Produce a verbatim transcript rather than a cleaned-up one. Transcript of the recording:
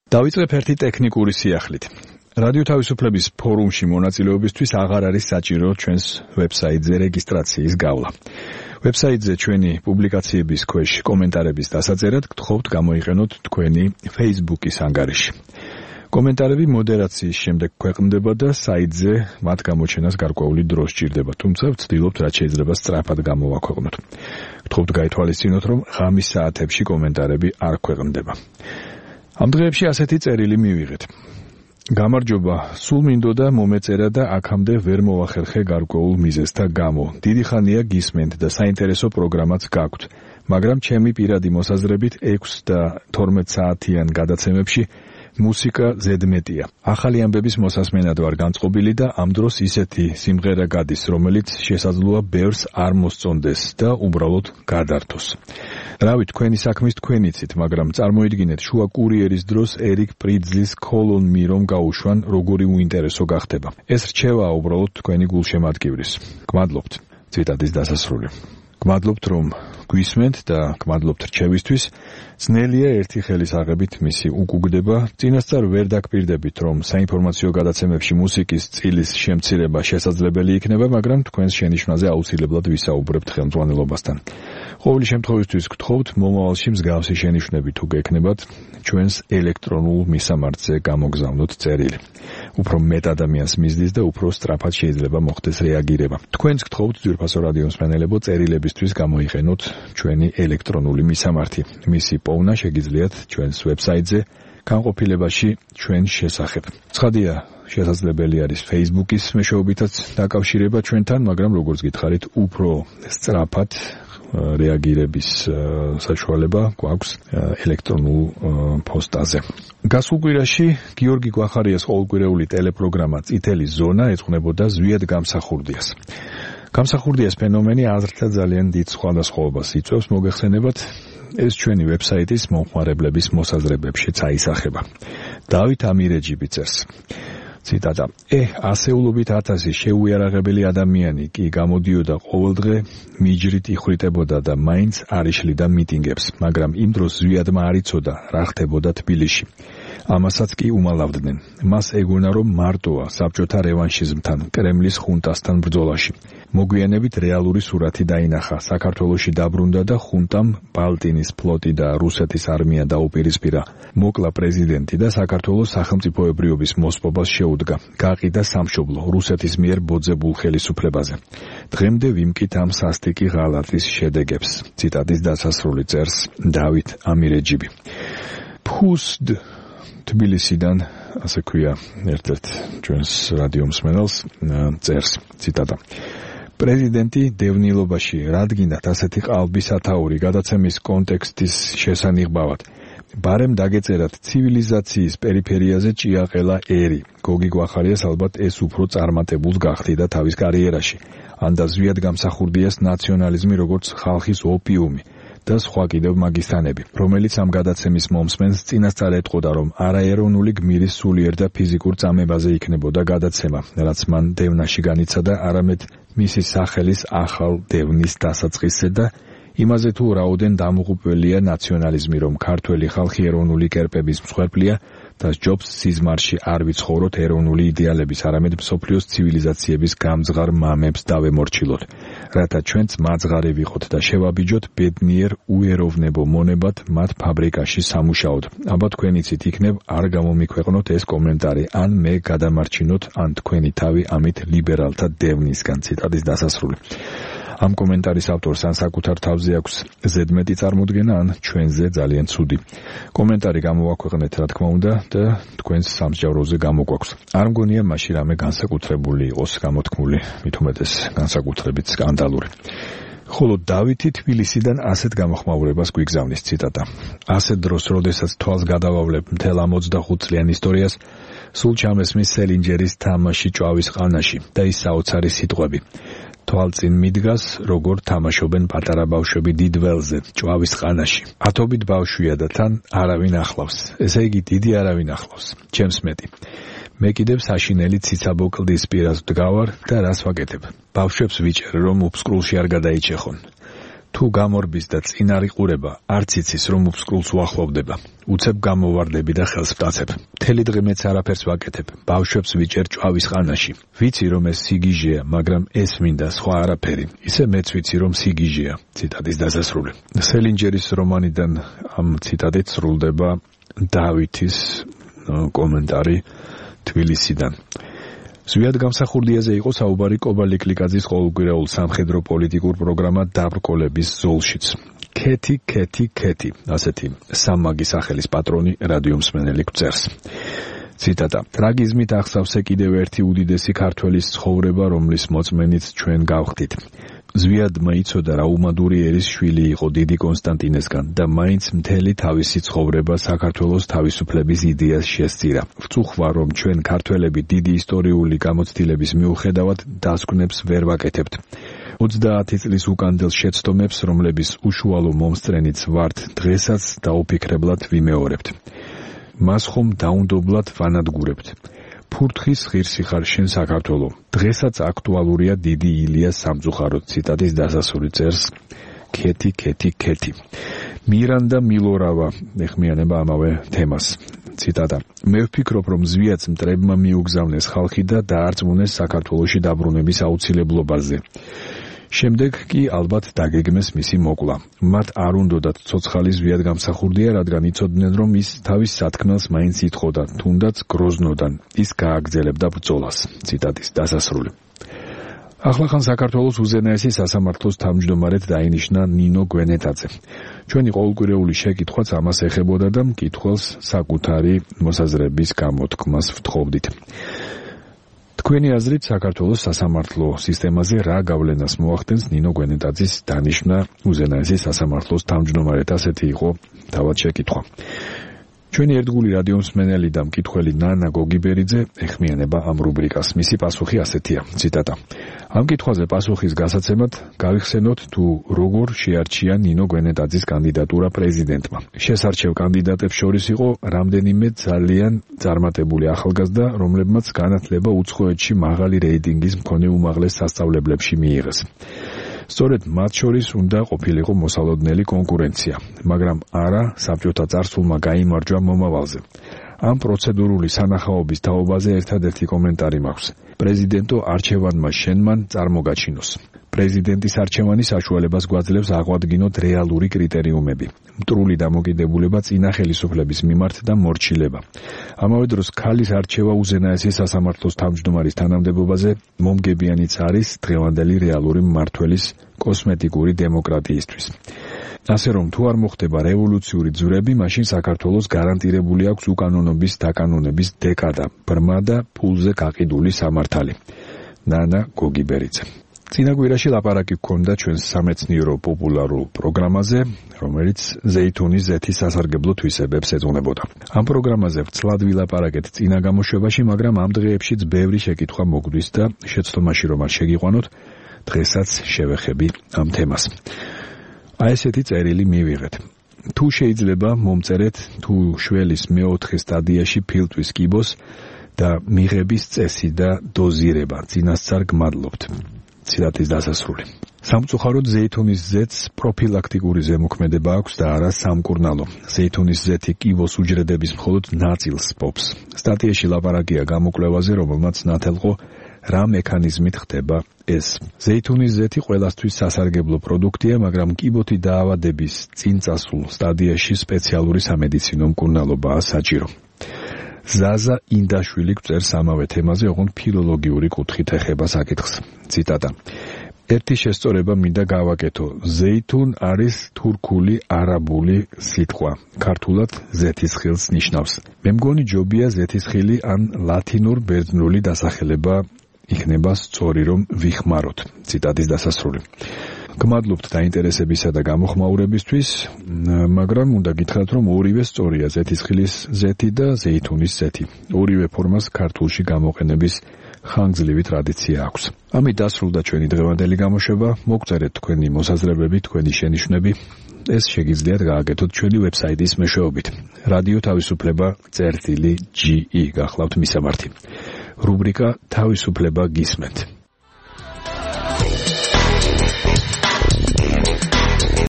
დავიწყებ ერთი ტექნიკური სიახლით. რადიო თავისუფლების ფორუმში მონაწილეობისთვის აღარ არის საჭირო ჩვენს ვებსაიტზე რეგისტრაციის გავლა. ვებსაიტზე ჩვენი პუბლიკაციების ქვეშ კომენტარების დასაწერად გთხოვთ გამოიყენოთ თქვენი Facebook-ის ანგარიში. კომენტარები მოდერაციის შემდეგ ქვეყნდება და საიტზე მათ გამოჩენას გარკვეული დრო სჭირდება, თუმცა ვცდილობთ რაც შეიძლება სწრაფად გამოვაქვეყნოთ. გთხოვთ გაითვალისწინოთ, რომ ღამის საათებში კომენტარები არ ქვეყნდება. ამ დღეებში ასეთი წერილი მივიღეთ. გამარჯობა, სულ მინდოდა მომეწერა და აქამდე ვერ მოვახერხე გარკვეულ მიზეზთა გამო. დიდი ხანია გისმენთ და საინტერესო პროგრამაც გაქვთ, მაგრამ ჩემი პირადი მოსაზრებით ექვს და თორმეტ საათიან გადაცემებში მუსიკა ზედმეტია. ახალი ამბების მოსასმენად ვარ განწყობილი და ამ დროს ისეთი სიმღერა გადის, რომელიც შესაძლოა ბევრს არ მოსწონდეს და უბრალოდ გადართოს. რავი, თქვენი საქმის თქვენიცით, მაგრამ წარმოიდგინეთ შუა კურიერის დროს ერიკ პრიძლის Call on Me რომ გაუშვან, როგორი უინტერესო გახდება. ეს რჩევაა უბრალოდ თქვენი გულშემატკივრის. გმადლობთ. ციტატის დასასრული. გმადლობთ, რომ გვისმენთ და გმადლობთ რჩევისთვის. ძნელია ერთი ხელის აღებით მისი უკუგდება. წინასწარ ვერ დაგპირდებით, რომ საინფორმაციო გადაცემებში მუსიკის წილის შემცირება შესაძლებელი იქნება, მაგრამ თქვენს შენიშვნაზე აუცილებლად ვისაუბრებთ ხელმძღვანელობასთან. ყოველი შემთხვევისთვის გთხოვთ მომავალში მსგავსი შენიშვნები თუ გექნებათ, ჩვენს ელექტრონულ მისამართზე გამოგზავნოთ წერილი. უფრო მეტ ადამიანს მისდის და უფრო სწრაფად შეიძლება მოხდეს რეაგირება. თქვენს გთხოვთ ძვირფასო რადიო მსმენელებო წერილებისთვის გამოიყენოთ ჩვენი ელექტრონული მისამართი. მისი პოვნა შეგიძლიათ ჩვენს ვებსაიტზე განყოფილებაში ჩვენ შესახებ. ცხადია, შესაძლებელი არის Facebook-ის მეშვეობითაც დაკავშირება ჩვენთან, მაგრამ როგორც გითხარით, უფრო სწრაფად რეაგირების საშუალება გვაქვს ელექტრონულ პოსტაზე. გასულ კვირაში გიორგი გვახარიას ყოველკვირეული ტელეპროგრამა წითელი ზონა ეძღვნებოდა ზვიად გამსახურდიას. გამსახურდიას ფენომენი აზრთა ძალიან დიდ სხვადასხვაობას იწვევს, მოგეხსენებათ, ეს ჩვენი ვებსაიტის მომხმარებლების მოსაზრებებში წაისახება. დავით ამირეჯიბი წერს. ციტატა. ე, ასეულობით ათასი შეუიარაღებელი ადამიანი კი გამოდიოდა ყოველდღე მიჯრით იხვრიტებოდა და მაინც არ იშლიდა მიტინგებს, მაგრამ იმ დროს ზვიადმა არ იცოდა რა ხდებოდა თბილისში. ამასაც კი უმალავდნენ. მას ეგონა, რომ მარტოა საბჭოთა რევანშიზმთან, კრემლის ხუნტასთან ბრძოლაში. მოგვიანებით რეალური სურათი დაინახა. საქართველოში დაბრუნდა და ხუნტამ ბალტინის ფლოტი და რუსეთის არმია დაუპირისპირა. მოკლა პრეზიდენტი და საქართველოს სახელმწიფოებრიობის მოსპობას შეუდგა. გაყიდა სამშობლო რუსეთის მიერ ბოძებულ ხელისუფლებაზე. დღემდე ვიმკით ამ სასტიკი ღალატის შედეგებს. ციტატის დასასრული წერს დავით ამირეჯიბი. ფუსდ თბილისიდან, ასე ქვია ერთ-ერთ ჩვენს რადიო მსმენელს, წერს ციტატა. პრეზიდენტი დევნილობაში რადგინათ ასეთი ყალბისათაური გადაცემის კონტექსტის შესანიღბავად. ბარემ დაგეწერათ ცივილიზაციის პერიფერიაზე ჭიაყელა ერი. გოგი გვახარიას ალბათ ეს უფრო წარმატებულს გახდიდა თავის კარიერაში. ანდა ზვიად გამსახურდიას ნაციონალიზმი როგორც ხალხის ოპიუმი. და სხვა კიდევ მაგისტანები, რომელიც ამ გადაცემის მომსმენს წინასწარ ეტყოდა, რომ არაეროვნული გმირის სულიერ და ფიზიკურ წამებაზე იქნებოდა გადაცემა, რაც მან დევნაში განიცადა, არამედ მისი სახელის ახალ დევნის დასაწყისზე და იმაზე თუ რაოდენ დამუღუპველია ნაციონალიზმი, რომ ქართველი ხალხი ეროვნული კერპების მსხვერპლია და ჯობს სიზმარში არ ვიცხოვროთ ეროვნული იდეალების, არამედ მსოფლიოს ცივილიზაციების გამძღარ მამებს დავემორჩილოთ, რათა ჩვენც მაძღარი ვიყოთ და შევაბიჯოთ ბედნიერ უეროვნებო მონებად მათ ფაბრიკაში სამუშაოდ. აბა თქვენიცით იქნებ არ გამომიქვეყნოთ ეს კომენტარი, ან მე გადამარჩინოთ, ან თქვენი თავი ამით ლიბერალთა დევნისგან. ციტატის დასასრული. ამ კომენტარის ავტორს ან საკუთარ თავზე აქვს ზედმეტი წარმოდგენა, ან ჩვენზე ძალიან ცუდი. კომენტარი გამოვაქვეყნეთ, რა თქმა უნდა, და თქვენს სამსჯავროზე გამოგვაქვს. არ მგონია მაშინ რამე განსაკუთრებული იყოს გამოთქმული, მით უმეტეს განსაკუთრებით სკანდალური. ხოლო დავითი თბილისიდან ასეთ გამოხმაურებას გვიგზავნის. ციტატა. ასეთ დროს, როდესაც თვალს გადავავლებ მთელ ამ ოცდახუთ წლიან ისტორიას, სულ ჩამესმის სელინჯერის თამაში ჭვავის ყანაში და ის საოცარი სიტყვები. თვალწინ მიდგას, როგორ თამაშობენ პატარა ბავშვები დიდ ველზე, ჭვავის ყანაში. ათობით ბავშვია და თან არავინ ახლავს. ესე იგი დიდი არავინ ახლავს. ჩემს მეტი. მე კიდევ საშინელი ციცაბო კლდის პირას ვდგავარ და რას ვაკეთებ? ბავშვებს ვიჭერ, რომ უფსკრულში არ გადაიჭეხონ. თუ გამორბის და წინარიყურება არც იცის რომ უფსკრულს უახლოვდება. უცებ გამოვარდები და ხელს ვტაცებ. მთელი დღე მეც არაფერს ვაკეთებ. ბავშვებს ვიჭერ ჭვავის ყანაში. ვიცი რომ ეს სიგიჟეა, მაგრამ ეს მინდა სხვა არაფერი. ისე მეც ვიცი რომ სიგიჟეა. ციტატის დასასრული. სელინჯერის რომანიდან ამ ციტატით სრულდება დავითის კომენტარი თბილისიდან. ზვიად გამსახურდიაზე იყო საუბარი კობალე კლიკაძის ყოველკვირეულ სამხედრო პოლიტიკურ პროგრამა დაბრკოლების ზოლშიც. ქეთი, ქეთი, ქეთი, ასეთი სამმაგი სახელის პატრონი რადიომსმენელი გვწერს. ციტატა: ტრაგიზმით ახსავსე კიდევ ერთი უდიდესი ქართველის ცხოვრება, რომლის მოწმენით ჩვენ გავხდით. ზვიადმა იცოდა რა უმადური ერის შვილი იყო დიდი კონსტანტინესგან და მაინც მთელი თავისი ცხოვრება საქართველოს თავისუფლების იდეას შესწირა. ვწუხვა რომ ჩვენ ქართველები დიდი ისტორიული გამოცდილების მიუხედავად დასკვნებს ვერ ვაკეთებთ. ოცდაათი წლის უკანდელ შეცდომებს, რომლების უშუალო მომსწრენიც ვართ, დღესაც დაუფიქრებლად ვიმეორებთ. მას ხომ დაუნდობლად ვანადგურებთ. ფურთხის ღირსი ხარ შენ საქართველო. დღესაც აქტუალურია დიდი ილიას სამწუხაროდ. ციტატის დასასრული წერს ქეთი, ქეთი, ქეთი. მირანდა მილორავა ეხმიანება ამავე თემას. ციტატა: მე ვფიქრობ რომ ზვიადს მტრებმა მიუგზავნეს ხალხი და დაარწმუნეს საქართველოში დაბრუნების აუცილებლობაზე. შემდეგ კი ალბათ დაგეგმეს მისი მოკლა. მათ არ უნდოდათ ცოცხალი ზვიად გამსახურდია, რადგან იცოდნენ რომ ის თავის სათქმელს მაინც ითხოვდა, თუნდაც გროზნოდან. ის გააგრძელებდა ბრძოლას. ციტატის დასასრული. ახლახან საქართველოს უზენაესი სასამართლოს თავმჯდომარედ დაინიშნა ნინო გვენეტაძე. ჩვენი ყოველკვირეული შეკითხვაც ამას ეხებოდა და მკითხველს საკუთარი მოსაზრების გამოთქმას ვთხოვდით. თქვენი აზრით საქართველოს სასამართლო სისტემაზე რა გავლენას მოახდენს ნინო გვენეტაძის დანიშვნა უზენაესი სასამართლოს თავმჯდომარედ? ასეთი იყო თავად შეკითხვა. ჩვენი ერთგული რადიომსმენელი და მკითხველი ნანა გოგიბერიძე ეხმიანება ამ რუბრიკას. მისი პასუხი ასეთია. ციტატა: ამ კითხვაზე პასუხის გასაცემად გავიხსენოთ თუ როგორ შეარჩია ნინო გვენეტაძის კანდიდატურა პრეზიდენტმა. შესარჩევ კანდიდატებს შორის იყო რამდენიმე ძალიან წარმატებული ახალგაზრდა, რომლებმაც განათლება უცხოეთში მაღალი რეიტინგის მქონე უმაღლეს სასწავლებლებში მიიღეს. სწორედ მათ შორის უნდა ყოფილიყო მოსალოდნელი კონკურენცია, მაგრამ არა საბჭოთა წარსულმა გაიმარჯვა მომავალზე. ამ პროცედურული სანახაობის თაობაზე ერთადერთი კომენტარი მაქვს. პრეზიდენტო არჩევანმა შენმან წარმოგაჩინოს. პრეზიდენტის არჩევანი საშუალებას გვაძლევს აღვადგინოთ რეალური კრიტერიუმები. მტრული დამოკიდებულება წინა ხელისუფლების მიმართ და მორჩილება. ამავე დროს ქალის არჩევა უზენაესი სასამართლოს თავმჯდომარის თანამდებობაზე მომგებიანიც არის დღევანდელი რეალური მმართველის კოსმეტიკური დემოკრატიისთვის. ასე რომ თუ არ მოხდება რევოლუციური ძვრები, მაშინ საქართველოს გარანტირებული აქვს უკანონობის დაკანონების დეკადა, ბრმა და ფულზე გაყიდული სამართალი. ნანა გოგიბერიძე. წინა კვირაში ლაპარაკი გქონდა ჩვენს სამეცნიერო პოპულარულ პროგრამაზე, რომელიც ზეითუნის ზეთის სასარგებლო თვისებებს ეძღვნებოდა. ამ პროგრამაზე ვცლად ვილაპარაკეთ წინა გამოშვებაში, მაგრამ ამ დღეებშიც ბევრი შეკითხვა მოგვდის და შეცდომაში რომ არ შეგიყვანოთ, დღესაც შევეხები ამ თემას. აი ესეთი წერილი მივიღეთ. თუ შეიძლება მომწერეთ თუ შველის მეოთხე სტადიაში ფილტვის კიბოს და მიღების წესი და დოზირება. წინასწარ გმადლობთ. ციტატის დასასრული. სამწუხაროდ ზეითუნის ზეთს პროფილაქტიკური ზემოქმედება აქვს და არა სამკურნალო. ზეითუნის ზეთი კიბოს უჯრედების მხოლოდ ნაწილს პოპს. სტატიაში ლაპარაკია გამოკვლევაზე, რომელმაც ნათელყო რა მექანიზმით ხდება ეს. ზეითუნის ზეთი ყველასთვის სასარგებლო პროდუქტია, მაგრამ კიბოთი დაავადების წინ წასულ სტადიაში სპეციალური სამედიცინო მკურნალობაა საჭირო. ზაზა ინდაშვილი გვწერს ამავე თემაზე, ოღონდ ფილოლოგიური კუთხით ეხება საკითხს. ციტატა: ერთი შესწორება მინდა გავაკეთო. ზეითუნ არის თურქული არაბული სიტყვა. ქართულად ზეთისხილს ნიშნავს. მე მგონი ჯობია ზეთისხილი ან ლათინურ ბერძნული დასახელება იქნება სწორი რომ ვიხმაროთ. ციტატის დასასრული. გმადლობთ დაინტერესებისა და გამოხმაურებისთვის, მაგრამ უნდა გითხრათ, რომ ორივე სწორია, ზეთისხილის ზეთი და ზეითუნის ზეთი. ორივე ფორმას ქართულში გამოყენების ხანგრძლივი ტრადიცია აქვს. ამით დასრულდა ჩვენი დღევანდელი გამოშვება. მოგწერეთ თქვენი მოსაზრებები, თქვენი შენიშვნები. ეს შეგიძლიათ გააკეთოთ ჩვენი ვებსაიტის მეშვეობით. რადიო თავისუფლება წერტილი ჯი ი გახლავთ მისამართი. რუბრიკა თავისუფლება გისმენთ.